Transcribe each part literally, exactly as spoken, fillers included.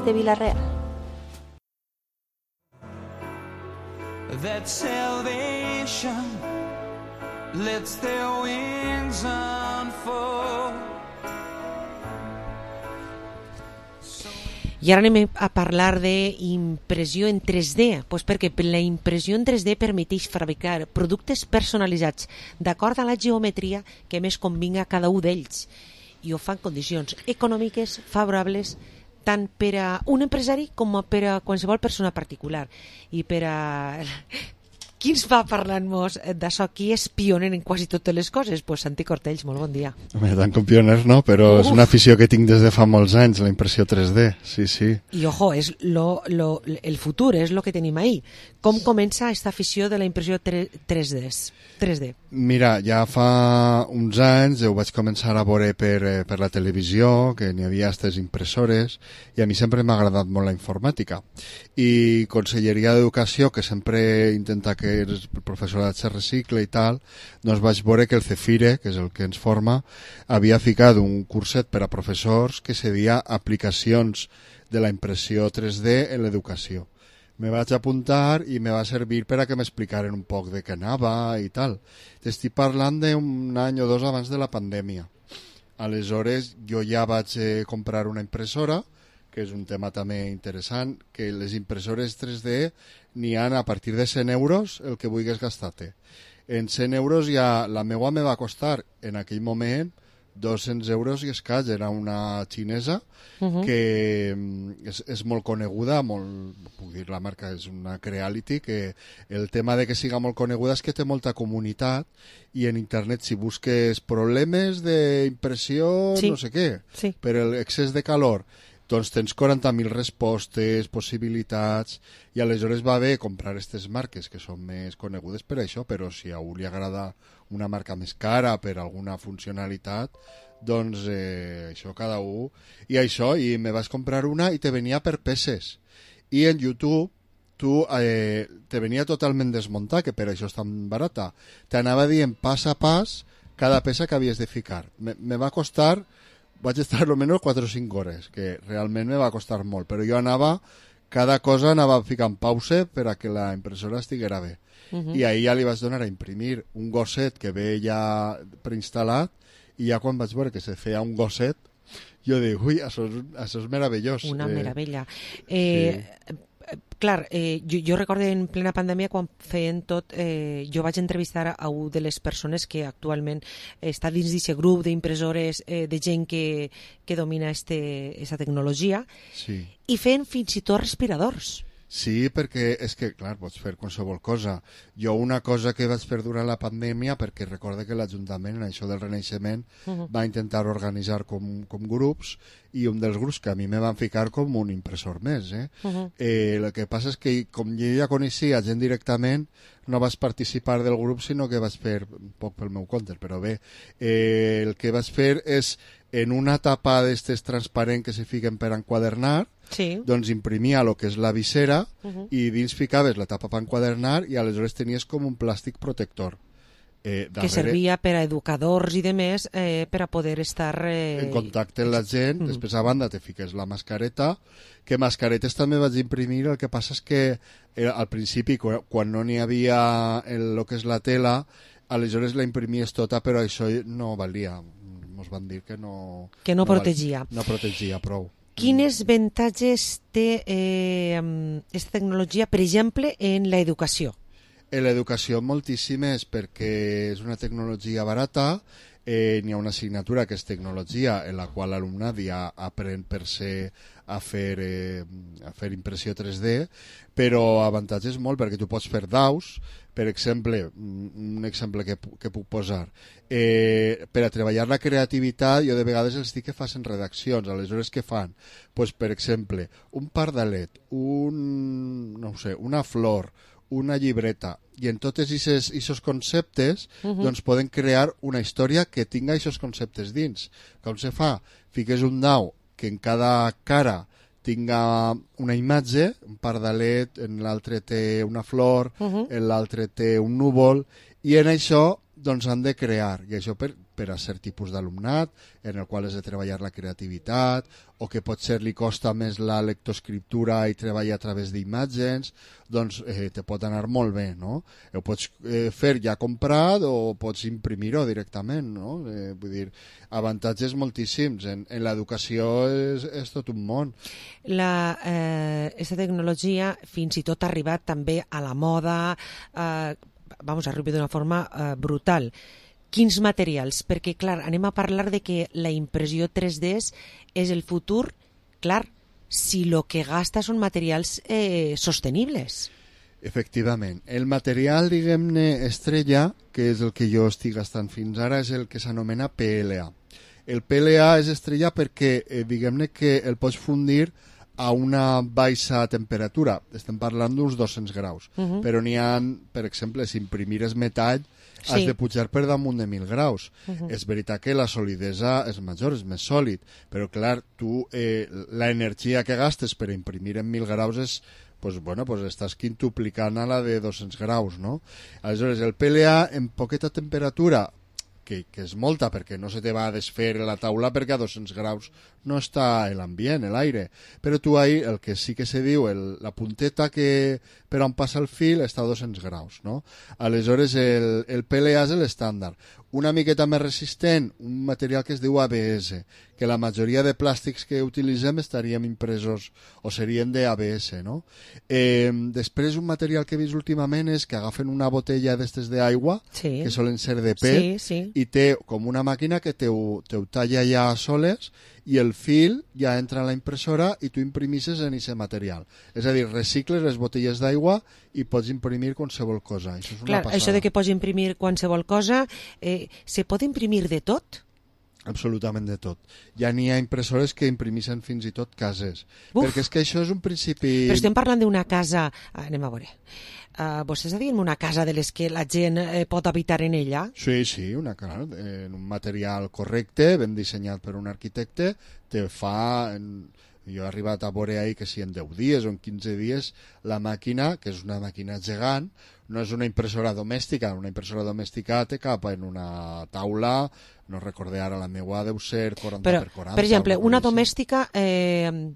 de Vila-real. That salvation lets their wings unfold. I ara anem a parlar d'impressió en tres D, pues perquè la impressió en tres D permeteix fabricar productes personalitzats d'acord a la geometria que més convinga a cada un d'ells, i ho fan en condicions econòmiques favorables tant per a un empresari com per a qualsevol persona particular. I per a... Qui ens va parlant-nos d'això? Qui és pioner en quasi totes les coses? Pues Santi Cortells, molt bon dia. Home, tant com pioners no, però Uf. és una afició que tinc des de fa molts anys, la impressió tres D, sí, sí. I ojo, és lo, lo, el futur, és el que tenim ahí. Com comença aquesta afició de la impressió tres D? Mira, ja fa uns anys ho vaig començar a veure per, per la televisió, que n'hi havia aquestes impressores, i a mi sempre m'ha agradat molt la informàtica. I Conselleria d'Educació, que sempre intenta que el professorat se recicle i tal, doncs vaig veure que el Cefire, que és el que ens forma, havia ficat un curset per a professors que se deia aplicacions de la impressió tres D en l'educació. Me vaig apuntar i me va servir per a que m'explicaren un poc de què anava i tal. T'estic parlant d'un any o dos abans de la pandèmia. Aleshores jo ja vaig eh, comprar una impressora, que és un tema també interessant, que les impressores tres D n'hi ha a partir de cent euros el que vulguis gastar-te. En cent euros ja la meva me va costar en aquell moment dos-cents euros i escaig. Era una xinesa uh-huh. que és, és molt coneguda, molt, puc dir la marca, és una Creality, que el tema de que siga molt coneguda és que té molta comunitat i en internet si busques problemes d'impressió, sí. no sé què, sí. per l'excés de calor, doncs tens quaranta mil respostes, possibilitats, i aleshores va bé comprar aquestes marques que són més conegudes per això, però si a algú li agrada una marca més cara per alguna funcionalitat, doncs eh, això cada un... I això, i me vas comprar una i te venia per peces. I en YouTube tu eh, te venia totalment desmuntat, que per això és tan barata. T'anava dient pas a pas cada peça que havies de ficar. Me, me va costar... Vaig estar almenys quatre o cinc hores, que realment me va costar molt, però jo anava, cada cosa anava ficant pause per a que la impressora estiguera bé. Uh-huh. I ahir ja li vaig donar a imprimir un gosset que ve ja preinstal·lat, i ja quan vaig veure que se feia un gosset, jo dic, ui, això és, això és meravellós. Una eh, meravella. Eh, sí. Clar, eh, jo, jo recordo en plena pandèmia quan feien tot, eh, jo vaig entrevistar a una de les persones que actualment està dins d'aquest grup d'impressores, eh, de gent que, que domina aquesta tecnologia, sí. i feien fins i tot respiradors. Sí, perquè és que, clar, pots fer qualsevol cosa. Jo una cosa que vaig fer durant la pandèmia, perquè recorde que l'Ajuntament, en això del Renaixement, uh-huh. va intentar organitzar com, com grups, i un dels grups que a mi me van ficar com un impressor més. Eh? Uh-huh. Eh, el que passa és que, com jo ja coneixia gent directament, no vaig participar del grup, sinó que vaig fer un poc pel meu compte, però bé, eh, el que vaig fer és, en una tapa d'estes transparent que se fiquen per enquadernar, sí. doncs imprimia el que és la visera uh-huh. i dins ficaves la tapa per enquadernar i aleshores tenies com un plàstic protector. Eh, darrere, que servia per a educadors i demés eh, per a poder estar... Eh... en contacte amb la gent, uh-huh. després a banda te fiques la mascareta, que mascaretes també vaig imprimir, el que passa és que eh, al principi, quan, quan no n'hi havia el, el que és la tela, aleshores la imprimies tota, però això no valia. Ens van dir que no... Que no, no protegia. Val, no protegia prou. Quines avantatges té eh, aquesta tecnologia, per exemple, en l'educació? En l'educació moltíssimes, perquè és una tecnologia barata, eh, n'hi ha una assignatura que és tecnologia, en la qual l'alumnat ja aprèn per ser a fer, eh, a fer impressió tres D, però avantatges molt, perquè tu pots fer daus, per exemple, un exemple que, que puc posar, eh, per a treballar la creativitat, jo de vegades els dic que facin redaccions, aleshores què fan? Pues, per exemple, un pardalet, un, no sé, una flor, una llibreta, i en tots aquests conceptes uh-huh. doncs poden crear una història que tinga aquests conceptes dins. Com se fa? Fiques un dau que en cada cara tinga una imatge, un pardalet, en l'altre té una flor, uh-huh. en l'altre té un núvol, i en això doncs han de crear, i això per, per a cert tipus d'alumnat, en el qual has de treballar la creativitat, o que potser li costa més la lectoescriptura i treballar a través d'imatges, doncs eh, te pot anar molt bé, no? Ho pots eh, fer ja comprat o pots imprimir-ho directament, no? Eh, vull dir, avantatges moltíssims. En, en l'educació és, és tot un món. La, eh, aquesta tecnologia fins i tot ha arribat també a la moda, eh, vamos, arriba d'una forma eh, brutal. Quins materials? Perquè, clar, anem a parlar de que la impressió tres D és el futur, clar, si lo que gasta són materials eh, sostenibles. Efectivament. El material, diguem-ne, estrella, que és el que jo estic gastant fins ara, és el que s'anomena P L A. El P L A és estrella perquè, eh, diguem-ne, que el pots fundir a una baixa temperatura. Estem parlant d'uns dos-cents graus. Uh -huh. Però n'hi ha, per exemple, si imprimires metall, sí, has de pujar per damunt de mil graus. Uh -huh. És veritat que la solidesa és major, és més sòlid, però clar, tu eh, l'energia que gastes per imprimir en mil graus és, pues, bueno, pues estàs quintuplicant a la de dos-cents graus, no? Aleshores, el P L A en poqueta temperatura, que, que és molta, perquè no se te va a desfer la taula perquè a dos-cents graus no està l'ambient, l'aire, però tu ahí el que sí que se diu, el, la punteta que per on passa el fil està a dos-cents graus, no? Aleshores el, el P L A és l'estàndard. Una miqueta més resistent, un material que es diu A B S, que la majoria de plàstics que utilitzem estaríem impresos o serien de A B S, no? Eh, després un material que he vist últimament és que agafen una botella d'estes d'aigua, sí, que solen ser de P E T, sí, sí, i té com una màquina que te ho, te ho talla ja soles i el fil ja entra a la impressora i tu imprimisses en aquest material. És a dir, recicles les botelles d'aigua i pots imprimir qualsevol cosa. Això és una Clar, passada. Això de que pots imprimir qualsevol cosa, eh, se pot imprimir de tot? Absolutament de tot. Ja n'hi ha impressores que imprimeixen fins i tot cases. Uf. Perquè és que això és un principi... Però estem parlant d'una casa... Anem a veure. Uh, vostè està dient una casa de les que la gent eh, pot habitar en ella? Sí, sí, una casa en un material correcte, ben dissenyat per un arquitecte, te fa... En... Jo he arribat a veure ahir que si en deu dies o en quinze dies la màquina, que és una màquina gegant, no és una impressora domèstica, una impressora domèstica te cap en una taula, no recordé ara la meua, deu ser quaranta Però, per quaranta. Per exemple, una domèstica, eh,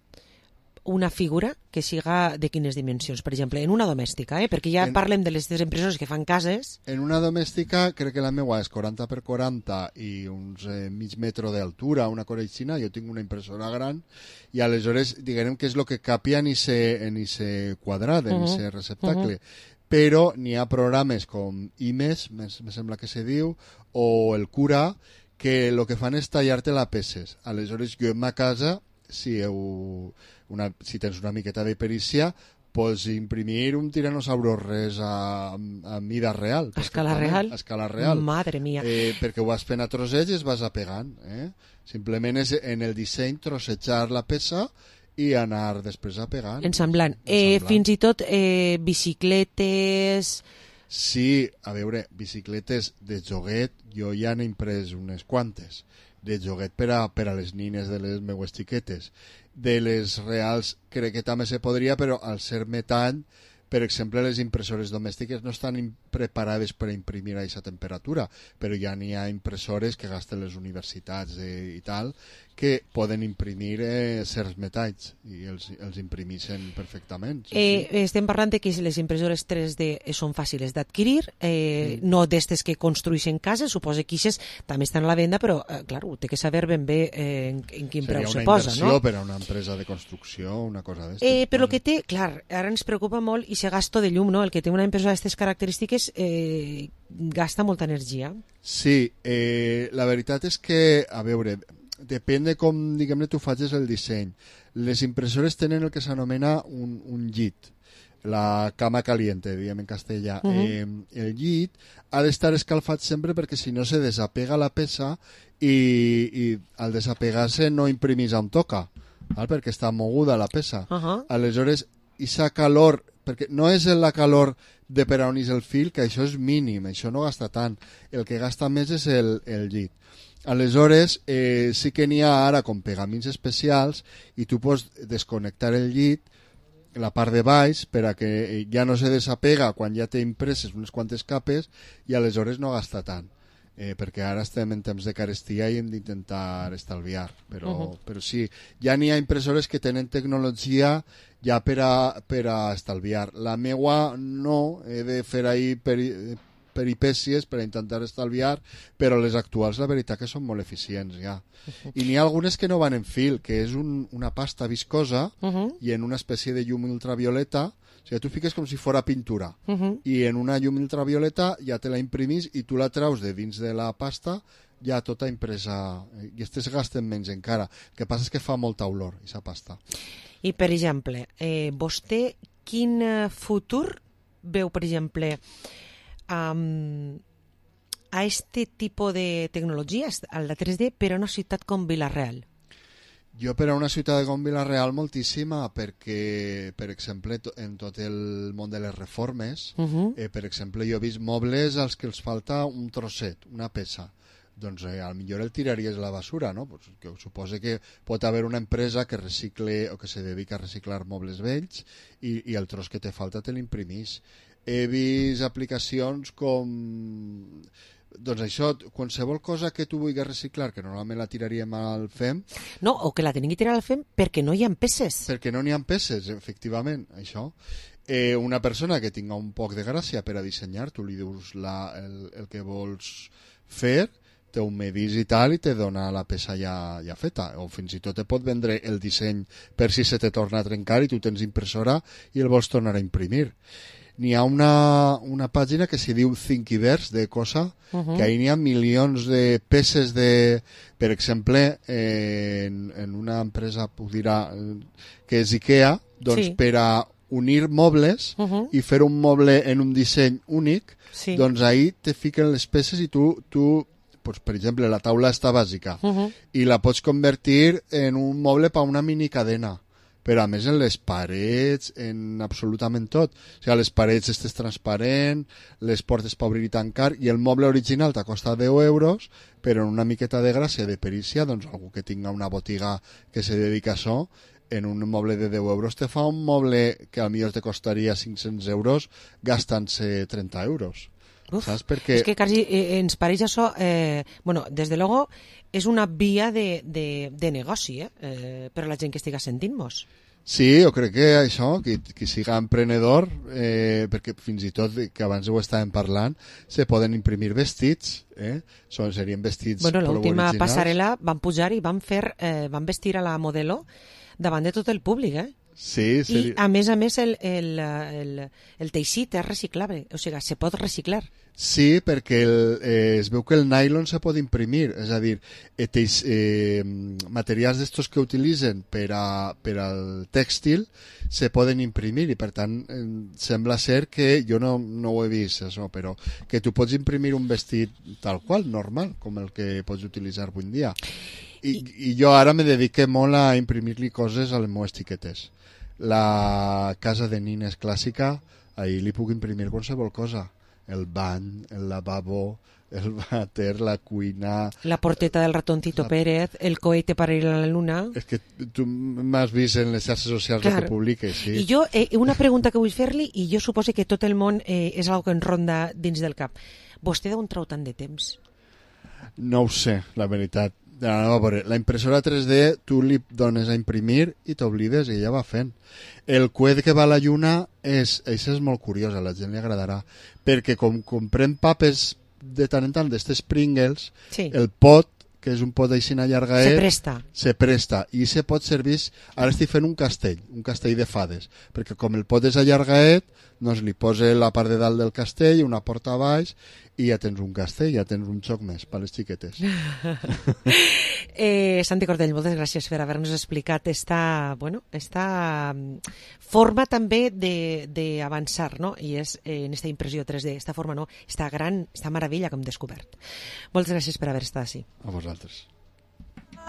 una figura que siga de quines dimensions? Per exemple, en una domèstica, eh? Perquè ja en, parlem de les impressores que fan cases. En una domèstica crec que la meua és quaranta per quaranta i uns eh, mig metro d'altura, una coreixina, jo tinc una impressora gran i aleshores diguem que és el que capia en ese quadrat, en ese uh -huh. receptacle. Uh -huh. Però n'hi ha programes com I M E S, me sembla que se diu, o el Cura, que el que fan és tallar-te la peces. Aleshores jo en ma casa, si, heu una, si tens una miqueta de perícia, pots imprimir un tiranosaurus res a, a mida real. A escala real? A escala real. Madre mía. Eh, perquè ho vas fent a trossets i es vas apegant. Eh? Simplement és en el disseny trossejar la peça i anar després apegant. Ensamblant. Eh, fins i tot eh, bicicletes... Sí, a veure, bicicletes de joguet, jo ja n'he imprès unes quantes, de joguet per a, per a les nines de les meues xiquetes. De les reals crec que també se podria, però al ser metall, per exemple, les impressores domèstiques no estan preparades per a imprimir a aquesta temperatura, però ja n'hi ha impressores que gasten les universitats eh, i tal, que poden imprimir eh, certs metalls i els, els imprimeixen perfectament. Sí, eh, sí. Estem parlant de que les impressores tres D són fàcils d'adquirir, eh, sí. no d'estes que construeixen cases, suposo que aquestes també estan a la venda, però, eh, clar, té que saber ben bé eh, en, en quin Seria preu se posa, no? Seria una inversió per a una empresa de construcció, una cosa d'estes. Eh, però el que té, clar, ara ens preocupa molt i se gasto de llum, no? El que té una impressora d'aquestes característiques eh, gasta molta energia. Sí, eh, la veritat és que, a veure, depèn de com, diguem-ne, tu facis el disseny. Les impressores tenen el que s'anomena un, un llit, la cama caliente, diguem en castellà. Uh -huh. eh, el llit ha d'estar escalfat sempre perquè si no se desapega la peça i, i al desapegar-se no imprimís on toca, val? Perquè està moguda la peça. Uh -huh. Aleshores, aquesta calor, perquè no és la calor de per on és el fil, que això és mínim, això no gasta tant. El que gasta més és el, el llit. Aleshores, eh, sí que n'hi ha ara com pegamins especials i tu pots desconnectar el llit, la part de baix, per a que ja no se desapega quan ja té impreses unes quantes capes i aleshores no gasta tant. eh, perquè ara estem en temps de carestia i hem d'intentar estalviar, però, Uh -huh. però sí, ja n'hi ha impressores que tenen tecnologia ja per a, per a estalviar. La meua no, he de fer ahí peri, peripècies per a intentar estalviar, però les actuals la veritat que són molt eficients ja. Uh -huh. I n'hi ha algunes que no van en fil, que és un, una pasta viscosa uh -huh. i en una espècie de llum ultravioleta. O sigui, tu fiques com si fora pintura uh -huh. i en una llum ultravioleta ja te la imprimís i tu la traus de dins de la pasta ja tota impresa, i aquestes gasten menys encara. El que passa és que fa molta olor, aquesta pasta. I, per exemple, eh, vostè quin futur veu, per exemple, um, a este tipus de tecnologies, a la tres D, per a una ciutat com Vila-real? Jo per a una ciutat com Vila-real moltíssima, perquè, per exemple, en tot el món de les reformes, uh -huh. eh, per exemple, jo he vist mobles als que els falta un trosset, una peça. Doncs eh, al millor el tiraries a la basura, no? Pues, que suposa que pot haver una empresa que recicle o que se dedica a reciclar mobles vells i, i el tros que te falta te l'imprimís. He vist aplicacions com... Doncs això, qualsevol cosa que tu vulguis reciclar, que normalment la tiraríem al F E M... No, o que la tenim que tirar al F E M perquè no hi ha peces. Perquè no n'hi ha peces, efectivament, això. Eh, una persona que tinga un poc de gràcia per a dissenyar, tu li dius la, el, el que vols fer, te ho medís i tal, i te dona la peça ja, ja feta. O fins i tot te pot vendre el disseny per si se te torna a trencar i tu tens impressora i el vols tornar a imprimir. N'hi ha una, una pàgina que s'hi diu Thinkiverse, de Cosa, uh -huh. que ahí n'hi ha milions de peces de... Per exemple, eh, en, en una empresa, puc dir, que és IKEA, doncs sí. per a unir mobles uh -huh. i fer un moble en un disseny únic, sí. doncs ahí te fiquen les peces i tu... tu pues, per exemple, la taula està bàsica uh -huh. i la pots convertir en un moble per una mini cadena. Però a més en les parets, en absolutament tot. O sigui, les parets estes transparent, les portes per obrir i tancar, i el moble original t'ha costat deu euros, però en una miqueta de gràcia, de perícia, doncs algú que tinga una botiga que se dedica a això, en un moble de deu euros te fa un moble que potser te costaria cinc-cents euros gastant-se trenta euros. Uf, saps? Perquè... És que quasi eh, ens pareix això, eh, bueno, des de luego és una via de, de, de negoci eh, eh, per a la gent que estiga sentint-nos. Sí, jo crec que això, que, que siga emprenedor, eh, perquè fins i tot, que abans ho estàvem parlant, se poden imprimir vestits, eh? Són, serien vestits bueno, prou originals. L'última passarel·la van pujar i van, fer, eh, van vestir a la modelo davant de tot el públic, eh? Sí, sí. I a més a més el, el, el, el teixit és reciclable, o sigui, se pot reciclar. Sí, perquè el, eh, es veu que el nylon se pot imprimir, és a dir, eh, teix, eh, materials d'estos que utilitzen per, a, per al tèxtil se poden imprimir i per tant eh, sembla ser que, jo no, no ho he vist això, però que tu pots imprimir un vestit tal qual, normal, com el que pots utilitzar avui en dia. I, i jo ara me dedique molt a imprimir-li coses a les meves etiquetes. La casa de nines clàssica, ahir li puc imprimir qualsevol cosa. El bany, el lavabo, el vàter, la cuina... La porteta del ratoncito la... Pérez, el cohete para ir a la luna... És que tu m'has vist en les xarxes socials Clar. que publiques, sí. I jo, eh, una pregunta que vull fer-li, i jo suposo que tot el món eh, és algo que en ronda dins del cap. Vostè d'on trau tant de temps? No ho sé, la veritat. No, la impressora tres D tu li dones a imprimir i t'oblides i ella va fent. El coet que va a la lluna és, això és molt curiós, a la gent li agradarà, perquè com comprem papes de tant en tant d'estes Pringles, sí. el pot, que és un pot així allargaet, se presta. se presta i se pot servir, ara estic fent un castell, un castell de fades, perquè com el pot és allargaet, doncs li posa la part de dalt del castell, una porta a baix, i ja tens un castell, ja tens un xoc més per les xiquetes. eh, Santi Cordell, moltes gràcies per haver-nos explicat esta, bueno, esta forma també d'avançar, no? I és eh, en esta impressió tres D, esta forma, no? Esta gran, esta meravella que hem descobert. Moltes gràcies per haver estat així. A vosaltres.